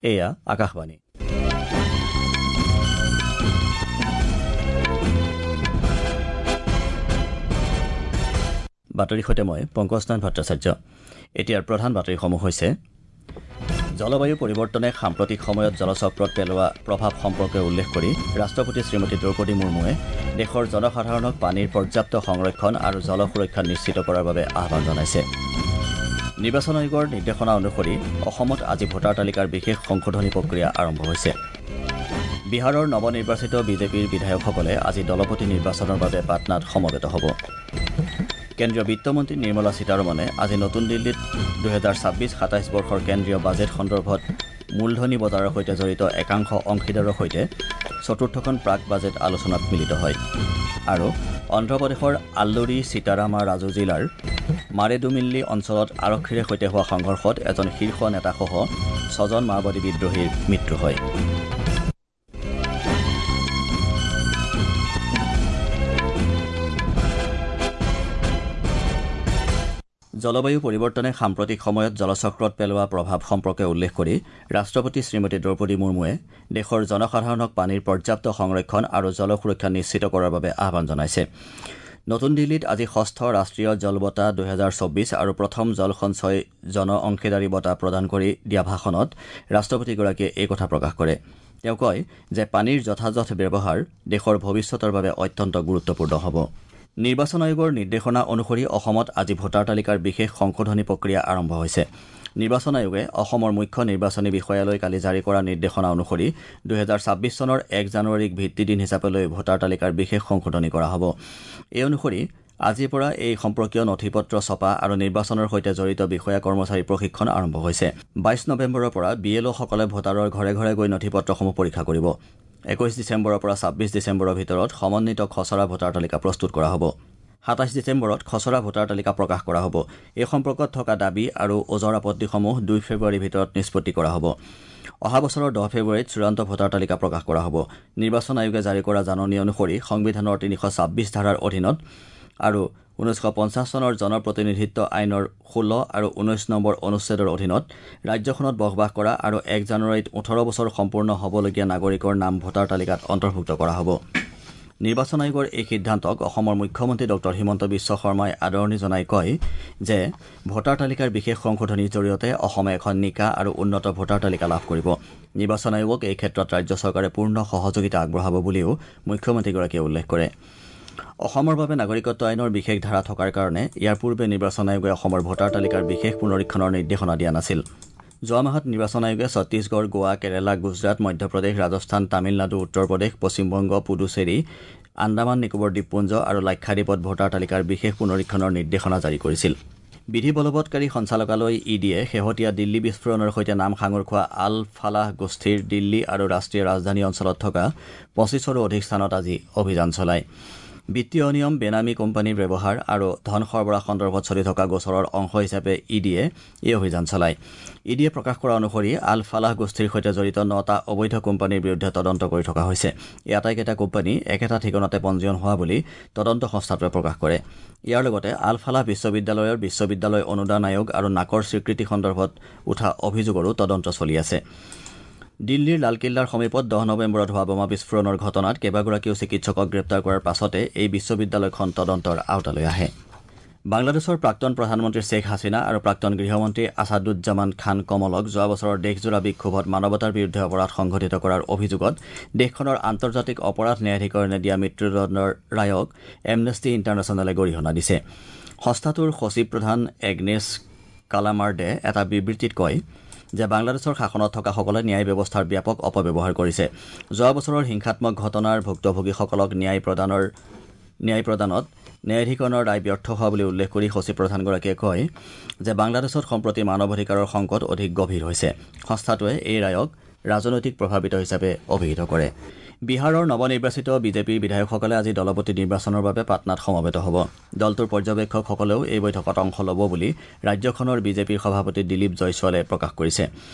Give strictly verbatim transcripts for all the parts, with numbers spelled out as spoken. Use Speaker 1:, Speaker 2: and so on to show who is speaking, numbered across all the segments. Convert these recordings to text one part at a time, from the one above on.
Speaker 1: এয়া আকাশবাণী। বাতৰিৰ সৈতে মই পংকজ নাথ ভট্টাচাৰ্য। এতিয়াৰ প্ৰধান বাতৰিসমূহ হৈছে: জলবায়ু পৰিৱৰ্তনে সাম্প্ৰতিক সময়ত জলচক্ৰত পেলোৱা প্ৰভাৱ সম্পৰ্কে উল্লেখ কৰি ৰাষ্ট্ৰপতি শ্ৰীমতী দ্ৰৌপদী মুৰ্মুৱে দেশৰ জনসাধাৰণক পানীৰ পৰ্যাপ্ত সংৰক্ষণ আৰু জল সুৰক্ষা নিশ্চিত কৰাৰ বাবে আহ্বান জনাইছে। নিৰ্বাচন আয়োগৰ নিৰ্দেশনা অনুসৰি অসমত আজি ভোটাৰ তালিকাৰ বিশেষ সংশোধনী প্ৰক্ৰিয়া আৰম্ভ হৈছে। বিহাৰৰ নৱনিৰ্বাচিত বিজেপিৰ বিধায়কসকলে আজি দলপতি নিৰ্বাচনৰ বাবে পাটনাত সমবেত হ'ব। কেন্দ্ৰীয় বিত্তমন্ত্ৰী নিৰ্মলা সীতাৰমণে আজি নতুন দিল্লীত দুহেজাৰ ছাব্বিছ সাতাইছ বৰ্ষৰ কেন্দ্ৰীয় বাজেট সন্দৰ্ভত মূলধনী বজাৰৰ সৈতে জড়িত একাংশ অংশীদাৰৰ সৈতে চতুৰ্থখন প্ৰাক বাজেট আলোচনাত মিলিত হয়। আৰু অন্ধ্ৰপ্ৰদেশৰ আল্লুৰী সীতাৰামা ৰাজু জিলাৰ মাৰেডুমিল্লি অঞ্চলত আৰক্ষীৰে সৈতে হোৱা সংঘৰ্ষত এজন শীৰ্ষ নেতাসহ ছজন মাওবাদী বিদ্ৰোহীৰ মৃত্যু হয়। জলবায়ু পৰিৱৰ্তনে সাম্প্ৰতিক সময়ত জলচক্ৰত পেলোৱা প্ৰভাৱ সম্পৰ্কে উল্লেখ কৰি ৰাষ্ট্ৰপতি শ্ৰীমতী দ্ৰৌপদী মুৰ্মুৱে দেশৰ জনসাধাৰণক পানীৰ পৰ্যাপ্ত সংৰক্ষণ আৰু জল সুৰক্ষা নিশ্চিত কৰাৰ বাবে আহ্বান জনাইছে। নতুন দিল্লীত আজি ষষ্ঠ ৰাষ্ট্ৰীয় জল বঁটা দুহেজাৰ চৌবিছ আৰু প্ৰথম জল সঞ্চয় জন অংশীদাৰী বঁটা প্ৰদান কৰি দিয়া ভাষণত ৰাষ্ট্ৰপতিগৰাকীয়ে এই কথা প্ৰকাশ কৰে। তেওঁ কয় যে পানীৰ যথাযথ ব্যৱহাৰ দেশৰ ভৱিষ্যতৰ বাবে অত্যন্ত গুৰুত্বপূৰ্ণ হ'ব। নিৰ্বাচন আয়োগৰ নিৰ্দেশনা অনুসৰি অসমত আজি ভোটাৰ তালিকাৰ বিশেষ সংশোধনী প্ৰক্ৰিয়া আৰম্ভ হৈছে। নিৰ্বাচন আয়োগে অসমৰ মুখ্য নিৰ্বাচনী বিষয়ালৈ কালি জাৰি কৰা নিৰ্দেশনা অনুসৰি দুহেজাৰ ছাব্বিছ চনৰ এক জানুৱাৰীক ভিত্তিদিন হিচাপে লৈ ভোটাৰ তালিকাৰ বিশেষ সংশোধনী কৰা হ'ব। এই অনুসৰি আজিৰ পৰা এই সম্পৰ্কীয় নথি পত্ৰ ছপা আৰু নিৰ্বাচনৰ সৈতে জড়িত বিষয়া কৰ্মচাৰীৰ প্ৰশিক্ষণ আৰম্ভ হৈছে। বাইছ নৱেম্বৰৰ পৰা বি এল অ'সকলে ভোটাৰৰ ঘৰে ঘৰে গৈ নথি পত্ৰসমূহ পৰীক্ষা কৰিব। একৈশ ডিচেম্বৰৰ পৰা ছাব্বিছ ডিচেম্বৰৰ ভিতৰত সমন্বিত খচৰা ভোটাৰ তালিকা প্ৰস্তুত কৰা হ'ব। সাতাইছ ডিচেম্বৰত খচৰা ভোটাৰ তালিকা প্ৰকাশ কৰা হ'ব। এই সম্পৰ্কত থকা দাবী আৰু ওজৰ আপত্তিসমূহ দুই ফেব্ৰুৱাৰীৰ ভিতৰত নিষ্পত্তি কৰা হ'ব। অহা বছৰৰ দহ ফেব্ৰুৱাৰীত চূড়ান্ত ভোটাৰ তালিকা প্ৰকাশ কৰা হ'ব। নিৰ্বাচন আয়োগে জাৰি কৰা জাননী অনুসৰি সংবিধানৰ তিনিশ ছাব্বিছ ধাৰাৰ অধীনত আৰু ঊনৈছশ পঞ্চাছ চনৰ জনপ্ৰতিনিধিত্ব আইনৰ ষোল্ল আৰু ঊনৈছ নম্বৰ অনুচ্ছেদৰ অধীনত ৰাজ্যখনত বসবাস কৰা আৰু এক জানুৱাৰীত ওঠৰ বছৰ সম্পূৰ্ণ হ'বলগীয়া নাগৰিকৰ নাম ভোটাৰ তালিকাত অন্তৰ্ভুক্ত কৰা হ'ব। নিৰ্বাচন আয়োগৰ এই সিদ্ধান্তক অসমৰ মুখ্যমন্ত্ৰী ডক্টৰ হিমন্ত বিশ্ব শৰ্মাই আদৰণি জনাই কয় যে ভোটাৰ তালিকাৰ বিশেষ সংশোধনীৰ জৰিয়তে অসমে এখন নিকা আৰু উন্নত ভোটাৰ তালিকা লাভ কৰিব। নিৰ্বাচন আয়োগক এই ক্ষেত্ৰত ৰাজ্য চৰকাৰে পূৰ্ণ সহযোগিতা আগবঢ়াব বুলিও মুখ্যমন্ত্ৰীগৰাকীয়ে উল্লেখ কৰে। অসমৰ বাবে নাগৰিকত্ব আইনৰ বিশেষ ধাৰা থকাৰ কাৰণে ইয়াৰ পূৰ্বে নিৰ্বাচন আয়োগে অসমৰ ভোটাৰ তালিকাৰ বিশেষ পুনৰীক্ষণৰ নিৰ্দেশনা দিয়া নাছিল। যোৱা মাহত নিৰ্বাচন আয়োগে ছত্তীশগড়, গোৱা, কেৰালা, গুজৰাট, মধ্যপ্ৰদেশ, ৰাজস্থান, তামিলনাডু, উত্তৰ প্ৰদেশ, পশ্চিমবংগ, পুডুচেৰী, আন্দামান নিকোবৰ দ্বীপপুঞ্জ আৰু লাক্ষাদ্বীপত ভোটাৰ তালিকাৰ বিশেষ পুনৰীক্ষণৰ নিৰ্দেশনা জাৰি কৰিছিল। বিধি বলবৎকাৰী সঞ্চালকালয় ই ডিয়ে শেহতীয়া দিল্লী বিস্ফোৰণৰ সৈতে নাম সাঙুৰ খোৱা আল ফালাহ গোষ্ঠীৰ দিল্লী আৰু ৰাষ্ট্ৰীয় ৰাজধানী অঞ্চলত থকা পঁচিছৰো অধিক স্থানত আজি অভিযান চলায়। বিত্তীয় অনিয়ম, বেনামী কোম্পানীৰ ব্যৱহাৰ আৰু ধন সৰবৰাহ সন্দৰ্ভত চলি থকা গোচৰৰ অংশ হিচাপে ই ডিয়ে এই অভিযান চলায়। ই ডিয়ে প্ৰকাশ কৰা অনুসৰি আল ফালাহ গোষ্ঠীৰ সৈতে জড়িত নটা অবৈধ কোম্পানীৰ বিৰুদ্ধে তদন্ত কৰি থকা হৈছে। এই আটাইকেইটা কোম্পানী একেটা ঠিকনাতে পঞ্জীয়ন হোৱা বুলি তদন্ত সংস্থাটোৱে প্ৰকাশ কৰে। ইয়াৰ লগতে আল ফালাহ বিশ্ববিদ্যালয়ৰ বিশ্ববিদ্যালয় অনুদান আয়োগ আৰু নাকৰ স্বীকৃতি সন্দৰ্ভত উঠা অভিযোগৰো তদন্ত চলি আছে। দিল্লীৰ লালকিল্লাৰ সমীপত দহ নৱেম্বৰত হোৱা বোমা বিস্ফোৰণৰ ঘটনাত কেইবাগৰাকীও চিকিৎসকক গ্ৰেপ্তাৰ কৰাৰ পাছতে এই বিশ্ববিদ্যালয়খন তদন্তৰ আওতালৈ আহে। বাংলাদেশৰ প্ৰাক্তন প্ৰধানমন্ত্ৰী শ্বেখ হাছিনা আৰু প্ৰাক্তন গৃহমন্ত্ৰী আছাদুজ্জামান খান কমলক যোৱা বছৰৰ দেশজোৰা বিক্ষোভত মানৱতাৰ বিৰুদ্ধে অপৰাধ সংঘটিত কৰাৰ অভিযোগত দেশখনৰ আন্তৰ্জাতিক অপৰাধ ন্যায়াধিকৰণে দিয়া মৃত্যুদণ্ডৰ ৰায়ক এমনেষ্টি ইণ্টাৰনেশ্যনেলে গৰিহণা দিছে। সংস্থাটোৰ সচিব প্ৰধান এগনেছ কালামাৰ্ডে এটা বিবৃতিত কয় যে বাংলাদেশৰ শাসনত থকাসকলে ন্যায় ব্যৱস্থাৰ ব্যাপক অপব্যৱহাৰ কৰিছে। যোৱা বছৰৰ হিংসাত্মক ঘটনাৰ ভুক্তভোগীসকলক ন্যায় প্ৰদানৰ ন্যায় প্ৰদানত ন্যায়াধিকৰণৰ ৰায় ব্যৰ্থ হোৱা বুলি উল্লেখ কৰি সচিব প্ৰধানগৰাকীয়ে কয় যে বাংলাদেশত সম্প্ৰতি মানৱ অধিকাৰৰ সংকট অধিক গভীৰ হৈছে। সংস্থাটোৱে এই ৰায়ক ৰাজনৈতিক প্ৰভাৱিত হিচাপে অভিহিত কৰে। বিহাৰৰ নৱনিৰ্বাচিত বিজেপিৰ বিধায়কসকলে আজি দলপতি নিৰ্বাচনৰ বাবে পাটনাত সমবেত হ'ব। দলটোৰ পৰ্যবেক্ষকসকলেও এই বৈঠকত অংশ ল'ব বুলি ৰাজ্যখনৰ বিজেপিৰ সভাপতি দিলীপ জয়ছোৱালে প্ৰকাশ কৰিছে।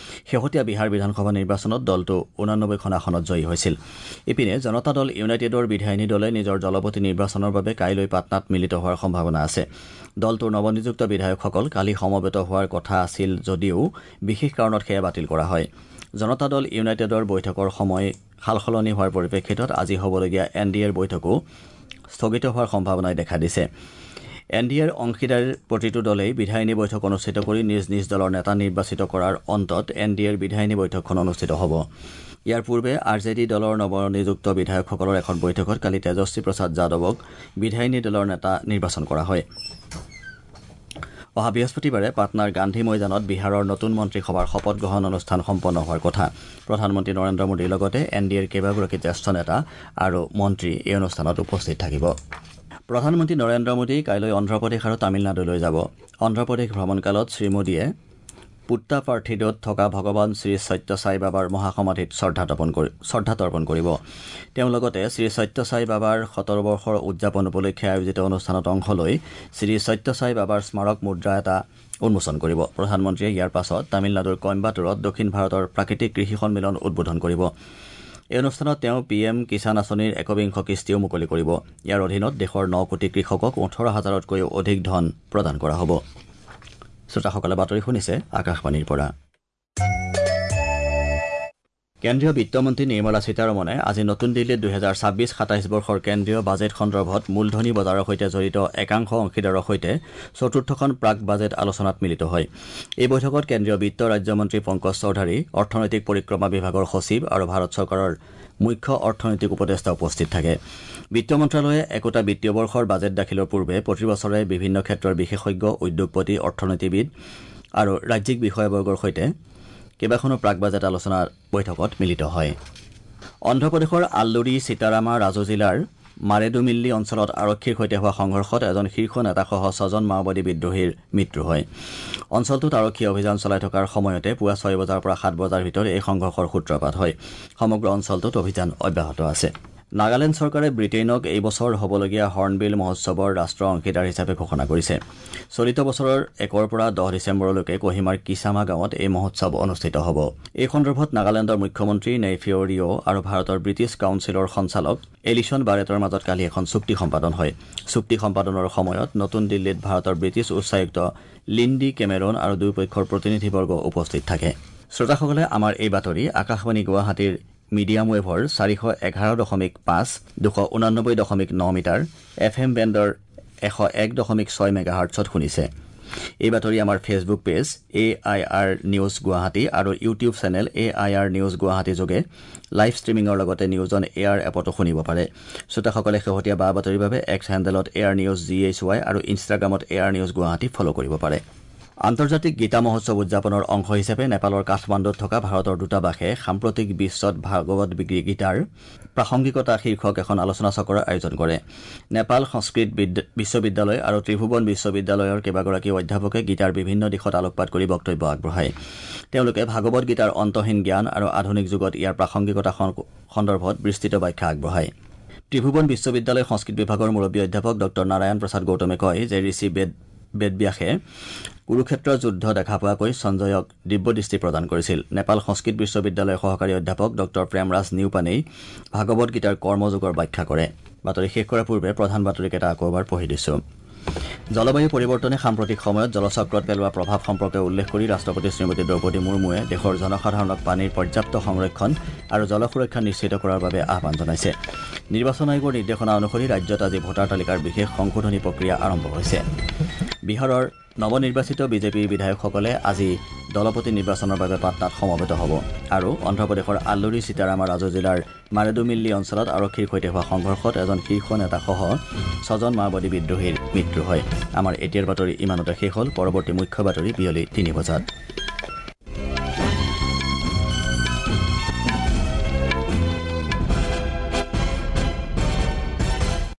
Speaker 1: শেহতীয়া বিহাৰ বিধানসভা নিৰ্বাচনত দলটো ঊনানব্বৈখন আসনত জয়ী হৈছিল। ইপিনে জনতা দল ইউনাইটেডৰ বিধায়িনী দলে নিজৰ দলপতি নিৰ্বাচনৰ বাবে কাইলৈ পাটনাত মিলিত হোৱাৰ সম্ভাৱনা আছে। দলটোৰ নৱনিযুক্ত বিধায়কসকল কালি সমবেত হোৱাৰ কথা আছিল যদিও বিশেষ কাৰণত সেয়া বাতিল কৰা হয়। জনতা দল ইউনাইটেডৰ বৈঠকৰ সময় সালসলনি হোৱাৰ পৰিপ্ৰেক্ষিতত আজি হ'বলগীয়া এন ডি এৰ বৈঠকো স্থগিত হোৱাৰ সম্ভাৱনাই দেখা দিছে। এন ডি এৰ অংশীদাৰ প্ৰতিটো দলেই বিধায়িনী বৈঠক অনুষ্ঠিত কৰি নিজ নিজ দলৰ নেতা নিৰ্বাচিত কৰাৰ অন্তত এন ডি এৰ বিধায়িনী বৈঠকখন অনুষ্ঠিত হ'ব। ইয়াৰ পূৰ্বে আৰ জে ডি দলৰ নৱনিযুক্ত বিধায়কসকলৰ এখন বৈঠকত কালি তেজস্বী প্ৰসাদ যাদৱক বিধায়িনী দলৰ নেতা নিৰ্বাচন কৰা হয়। অহা বৃহস্পতিবাৰে পাটনাৰ গান্ধী ময়দানত বিহাৰৰ নতুন মন্ত্ৰীসভাৰ শপত গ্ৰহণ অনুষ্ঠান সম্পন্ন হোৱাৰ কথা। প্ৰধানমন্ত্ৰী নৰেন্দ্ৰ মোদীৰ লগতে এন ডি এৰ কেইবাগৰাকী জ্যেষ্ঠ নেতা আৰু মন্ত্ৰী এই অনুষ্ঠানত উপস্থিত থাকিব। প্ৰধানমন্ত্ৰী নৰেন্দ্ৰ মোদী কাইলৈ অন্ধ্ৰপ্ৰদেশ আৰু তামিলনাডুলৈ যাব। অন্ধ্ৰপ্ৰদেশ ভ্ৰমণকালত শ্ৰীমোদীয়ে পুট্টাপাৰ্থিডত থকা ভগৱান শ্ৰী সত্য সাই বাবাৰ মহাসমাধিত শ্ৰদ্ধা তৰ্পণ কৰিব। তেওঁ লগতে শ্ৰী সত্য সাই বাবাৰ শতবৰ্ষৰ উদযাপন উপলক্ষে আয়োজিত অনুষ্ঠানত অংশ লৈ শ্ৰী সত্য সাই বাবাৰ স্মাৰক মুদ্ৰা এটা উন্মোচন কৰিব। প্ৰধানমন্ত্ৰীয়ে ইয়াৰ পাছত তামিলনাডুৰ কইম্বাটুৰত দক্ষিণ ভাৰতৰ প্ৰাকৃতিক কৃষি সন্মিলন উদ্বোধন কৰিব। এই অনুষ্ঠানত তেওঁ পি এম কিষাণ আঁচনিৰ একবিংশ কিস্তিও মুকলি কৰিব। ইয়াৰ অধীনত দেশৰ ন কোটি কৃষকক ওঠৰ হাজাৰতকৈও অধিক ধন প্ৰদান কৰা হ'ব। শ্ৰোতাসকলে বাতৰি শুনিছে আকাশবাণীৰ পৰা। কেন্দ্ৰীয় বিত্তমন্ত্ৰী নিৰ্মলা সীতাৰমণে আজি নতুন দিল্লীত দুহেজাৰ ছাব্বিছ সাতাইছ বৰ্ষৰ কেন্দ্ৰীয় বাজেট সন্দৰ্ভত মূলধনী বজাৰৰ সৈতে জড়িত একাংশ অংশীদাৰৰ সৈতে চতুৰ্থখন প্ৰাক বাজেট আলোচনাত মিলিত হয়। এই বৈঠকত কেন্দ্ৰীয় বিত্ত ৰাজ্যমন্ত্ৰী পংকজ চৌধাৰী, অৰ্থনৈতিক পৰিক্ৰমা বিভাগৰ সচিব আৰু ভাৰত চৰকাৰৰ মুখ্য অৰ্থনৈতিক উপদেষ্টা উপস্থিত থাকে। বিত্ত মন্ত্ৰালয়ে একোটা বিত্তীয় বৰ্ষৰ বাজেট দাখিলৰ পূৰ্বে প্ৰতি বছৰে বিভিন্ন ক্ষেত্ৰৰ বিশেষজ্ঞ, উদ্যোগপতি, অৰ্থনীতিবিদ আৰু ৰাজ্যিক বিষয়াবৰ্গৰ সৈতে কেইবাখনো প্ৰাক বাজেট আলোচনা বৈঠকত মিলিত হয়। অন্ধ্ৰপ্ৰদেশৰ আল্লুৰী সীতাৰামা ৰাজু জিলাৰ মাৰেডুমিল্লি অঞ্চলত আৰক্ষীৰ সৈতে হোৱা সংঘৰ্ষত এজন শীৰ্ষ নেতাসহ ছজন মাওবাদী বিদ্ৰোহীৰ মৃত্যু হয়। অঞ্চলটোত আৰক্ষী অভিযান চলাই থকাৰ সময়তে পুৱা ছয় বজাৰ পৰা সাত বজাৰ ভিতৰত এই সংঘৰ্ষৰ সূত্ৰপাত হয়। সমগ্ৰ অঞ্চলটোত অভিযান অব্যাহত আছে। নাগালেণ্ড চৰকাৰে ব্ৰিটেইনক এই বছৰ হ'বলগীয়া হৰ্ণবিল মহোৎসৱৰ ৰাষ্ট্ৰ অংশীদাৰ হিচাপে ঘোষণা কৰিছে। চলিত বছৰৰ একৰ পৰা দহ ডিচেম্বৰলৈকে কহিমাৰ কিচামা গাঁৱত এই মহোৎসৱ অনুষ্ঠিত হ'ব। এই সন্দৰ্ভত নাগালেণ্ডৰ মুখ্যমন্ত্ৰী নেইফিঅ ৰিঅ' আৰু ভাৰতৰ ব্ৰিটিছ কাউন্সিলৰ সঞ্চালক এলিছন বাৰেটৰ মাজত কালি এখন চুক্তি সম্পাদন হয়। চুক্তি সম্পাদনৰ সময়ত নতুন দিল্লীত ভাৰতৰ ব্ৰিটিছ উচ্চায়ুক্ত লিণ্ডি কেমেৰন আৰু দুয়োপক্ষৰ প্ৰতিনিধিবৰ্গ উপস্থিত থাকে। শ্ৰোতাসকলে আমাৰ এই বাতৰি আকাশবাণী গুৱাহাটীৰ মিডিয়াম ৱেভৰ চাৰিশ এঘাৰ দশমিক পাঁচ, দুশ ঊনানব্বৈ দশমিক ন মিটাৰ, এফ এম বেণ্ডৰ এশ এক দশমিক ছয় মেগাহাৰ্টছত শুনিছে। এই বাতৰি আমাৰ Facebook page A I R news Guwahati আৰু YouTube channel A I R news Guwahati যোগে লাইভ ষ্ট্ৰীমিঙৰ লগতে নিউজ অন এয়াৰ এপতো শুনিব পাৰে। শ্ৰোতাসকলে শেহতীয়া বা বাতৰিৰ বাবে এক্স হেণ্ডেলত A R news G H Y আৰু ইনষ্টাগ্ৰামত A R news Guwahati follow কৰিব পাৰে। আন্তৰ্জাতিক গীতা মহোৎসৱ উদযাপনৰ অংশ হিচাপে নেপালৰ কাঠমাণ্ডুত থকা ভাৰতৰ দূতাবাসে সাম্প্ৰতিক বিশ্বত ভাগৱত গীতাৰ প্ৰাসংগিকতা শীৰ্ষক এখন আলোচনা চক্ৰৰ আয়োজন কৰে। নেপাল সংস্কৃত বিশ্ববিদ্যালয় আৰু ত্ৰিভুৱন বিশ্ববিদ্যালয়ৰ কেইবাগৰাকী অধ্যাপকে গীতাৰ বিভিন্ন দিশত আলোকপাত কৰি বক্তব্য আগবঢ়ায়। তেওঁলোকে ভাগৱত গীতাৰ অন্তহীন জ্ঞান আৰু আধুনিক যুগত ইয়াৰ প্ৰাসংগিকতা সন্দৰ্ভত বিস্তৃত ব্যাখ্যা আগবঢ়ায়। ত্ৰিভুৱন বিশ্ববিদ্যালয় সংস্কৃত বিভাগৰ মুৰব্বী অধ্যাপক ডঃ নাৰায়ণ প্ৰসাদ গৌতমে কয় যে ঋষি বেদ বেদব্যাসে কুৰুক্ষেত্ৰ যুদ্ধ দেখা পোৱাকৈ সঞ্জয়ক দিব্য দৃষ্টি প্ৰদান কৰিছিল। নেপাল সংস্কৃত বিশ্ববিদ্যালয়ৰ সহকাৰী অধ্যাপক ডঃ প্ৰেমৰাজ নিউপানেই ভাগৱত গীতাৰ কৰ্মযোগৰ ব্যাখ্যা কৰে। বাতৰি শেষ কৰাৰ পূৰ্বে প্ৰধান বাতৰিকেইটা আকৌ এবাৰ পঢ়ি দিছো। জলবায়ু পৰিৱৰ্তনে সাম্প্ৰতিক সময়ত জলচক্ৰত পেলোৱা প্ৰভাৱ সম্পৰ্কে উল্লেখ কৰি ৰাষ্ট্ৰপতি শ্ৰীমতী দ্ৰৌপদী মুৰ্মুৱে দেশৰ জনসাধাৰণক পানীৰ পৰ্যাপ্ত সংৰক্ষণ আৰু জল সুৰক্ষা নিশ্চিত কৰাৰ বাবে আহ্বান জনাইছে। নিৰ্বাচন আয়োগৰ নিৰ্দেশনা অনুসৰি ৰাজ্যত আজি ভোটাৰ তালিকাৰ বিশেষ সংশোধনী প্ৰক্ৰিয়া আৰম্ভ হৈছে। বিহাৰৰ নৱনিৰ্বাচিত বিজেপিৰ বিধায়কসকলে আজি দলপতি নিৰ্বাচনৰ বাবে পাটনাত সমবেত হ'ব। আৰু অন্ধ্ৰপ্ৰদেশৰ আল্লুৰী সীতাৰামা ৰাজু জিলাৰ মাৰেডুমিল্লি অঞ্চলত আৰক্ষীৰ সৈতে হোৱা সংঘৰ্ষত এজন শীৰ্ষ নেতাসহ ছজন মাওবাদী বিদ্ৰোহীৰ মৃত্যু হয়। আমাৰ এতিয়াৰ বাতৰি ইমানতে শেষ হ'ল। পৰৱৰ্তী মুখ্য বাতৰি বিয়লি তিনি বজাত।